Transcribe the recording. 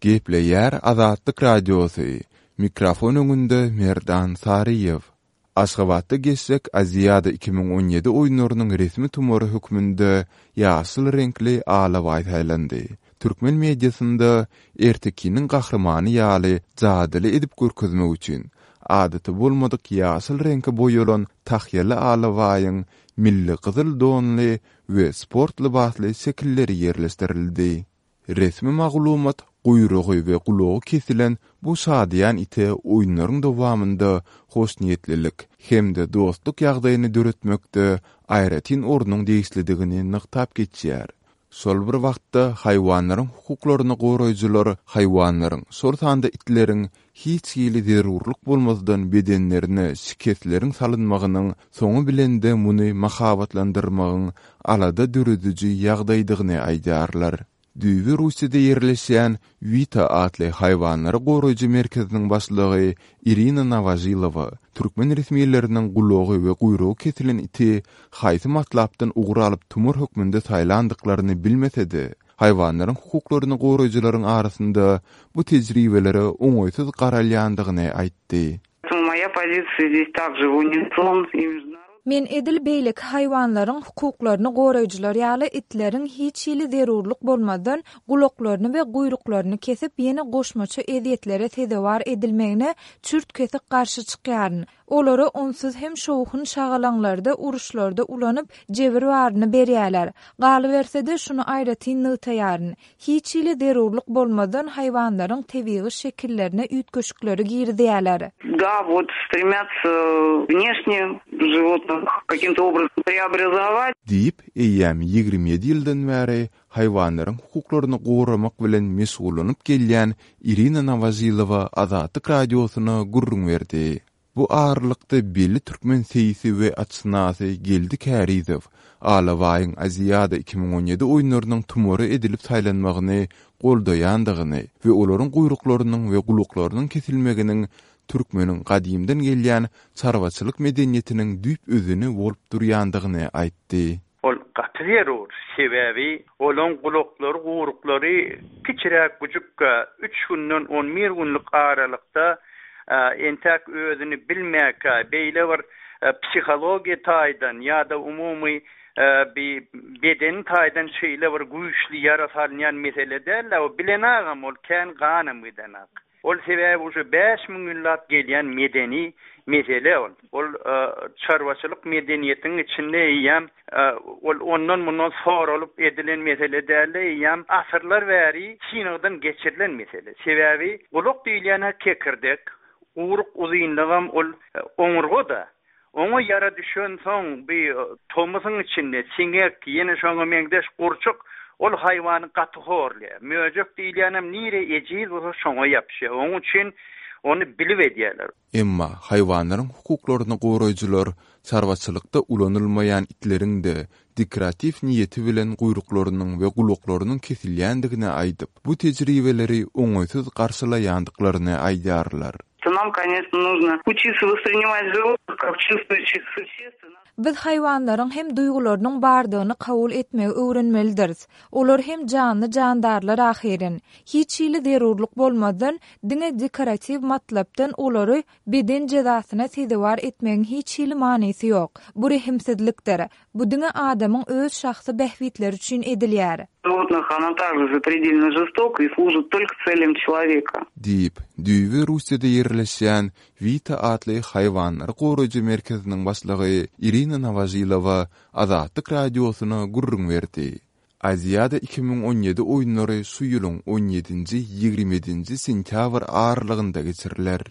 Gepleýär Azatlyk Radiosy, Mikrofon öňünde Merdan Saryýew. Aşgabatda geçjek Aziada 2017 oýunlarynyň resmi tumary hökmünde ýaşyl reňkli alabaý saýlandy. Türkmen mediasynda ertekiniň gahrymany ýaly jadyly edip görkezmek üçin, adaty bolmadyk ýaşyl reňke boýalan tahýaly alabaýyň milli gyzyl donly we sport lybasly şekilleri ýerleşdirildi. Resmi maglumat, guýrugy we gulagy kesilen bu şadyýan ite oýunlaryň dowamynda hoşniýetlilik hem-de dostluk ýagdaýyny döretmekde aýratyn ornuň degişlidigini nygtap geçýär. Şol bir wagtda, haýwanlaryň hukuklaryny goraýjylar haýwanlaryň, şol sanda itleriň hiç hili zerurlyk bolmazdan bedenlerine şikesleriň salynmagynyň, soňy bilen-de muny mahabatlandyrmagyň alada dörediji ýagdaýdygyny aýdýarlar. Düýbi Russiýada ýerleşýän Wita atly haýwanlary goraýjy merkeziniň başlygy Irina Nowožilowa türkmen resmileriniň gulagy we guýrugy kesilen iti haýsy matlapdan ugur alyp tumar hökmünde saýlandyklaryny bilmese-de, haýwanlaryň hukuklaryny goraýjylaryň arasynda bu tejribelere oňaýsyz garalýandygyny aýtdy. Men edil beýleki haýwanlaryň hukuklaryny goraýjylar ýaly itleriň hiç hili zerurlyk bolmazdan gulaklaryny we guýruklaryny kesip ýene goşmaça ezýetlere sezewar edilmegine çürt-kesik garşy çykýaryn. Olary onsuz hem şowhun-şagalaňlarda, uruşlarda ulanyp, jebir baryny berýärler. Galyberse-de, şuny aýratyn nygtaýaryn, hiç hili zerurlyk bolmazdan haýwanlaryň tebigy şekillerine üýtgeşikleri girizýärler. Da, wot, stremýatsa wneşne životnyh kakim-to obrazom preobrazowat. Diýip, eýýäm 27 ýyldan bäri haýwanlaryň hukuklaryny goramak bilen meşgullanyp gelýän Irina Nowožilowa Azatlyk Radiosyna gürrüň berdi. Bu aralykda belli türkmen seýsi we atşynasy Geldi Kärizow Alabaýyň Aziada 2017 oýunlarynyň tumary edilip saýlanmagyny goldaýandygyny we olaryň guýruklarynyň we gulaklarynyň kesilmeginiň türkmeniň gadymdan gelýän çarwaçylyk medeniýetiniň düýp özeni bolup durýandygyny aýtdy. Ol gaty zerur, sebäbi olaň gulaklary, guruklary kiçiräk güjükkä, üç günden on bir günlük aralykda entäk özüni bilmäkä, beýle bir psihologiýa taýdan ýa-da umumy bi bedeni taýdan şeýle bir güýçli ýara salynýan mesele däl-de, o bilenagam ol kän ganam gidenak. Ol sebäbi uje 5000 ýyllap gelýän medeni mesele ol. Ol çarwaçylyk medeniýetiň içinde eýýäm ol ondan-mundan soralyp edilen mesele däl-de, eýýäm asyrlar bäri synagdan geçirilen mesele. Sebäbi gulak diýilýän-ä kekirdek, guýruk uzynlygam ol oňurga-da. Oňa ýara düşensoň, bi tomusyň içinde siňek, ýene şoňa meňzeş gurçuk ol haýwany gaty horlaýar. Möjek diýilýänem nire ejiz bolsa şoňa ýapyşýar. Oň üçin ony bilip edýärler. Emma haýwanlaryň hukuklaryny goraýjylar çarwaçylykda ulanylmaýan itleriň-de dekoratiw niýeti bilen guýruklarynyň we gulaklarynyň kesilýändigini aýdyp, bu tejribeleri oňaýsyz garşylaýandyklaryny aýdýarlar. Nam, koneçno, nuzno uçitsa wosprinimat životnyh kak çuwstwuýuşih suşestw. Biz haýwanlaryň hem duýgularynyň bardygyny kabul etmegi öwrenmelidiris. Olar hem janly-jandarlar ahyryn. Hiç hili zerurlyk bolmazdan, diňe dekoratiw matlapdan olary beden jezasyna sezewar etmegiň hiç hili manysy ýok. Bu rehimsizlikdir. Bu diňe adamyň öz şahsy bähbitleri üçin edilýär. Животных ona takže zapredelno žestoka i služit tolko tselýam çeloweka. Diýip, düýbi Russiýada ýerleşýän Wita atly haýwanlary goraýjy merkeziniň başlygy Irina Nowožilowa Azatlyk Radiosyna gürrüň berdi. Aziada 2017 oýunlary şu ýylyň on ýedinji, 27-nji sentýabr aralygynda geçiriler.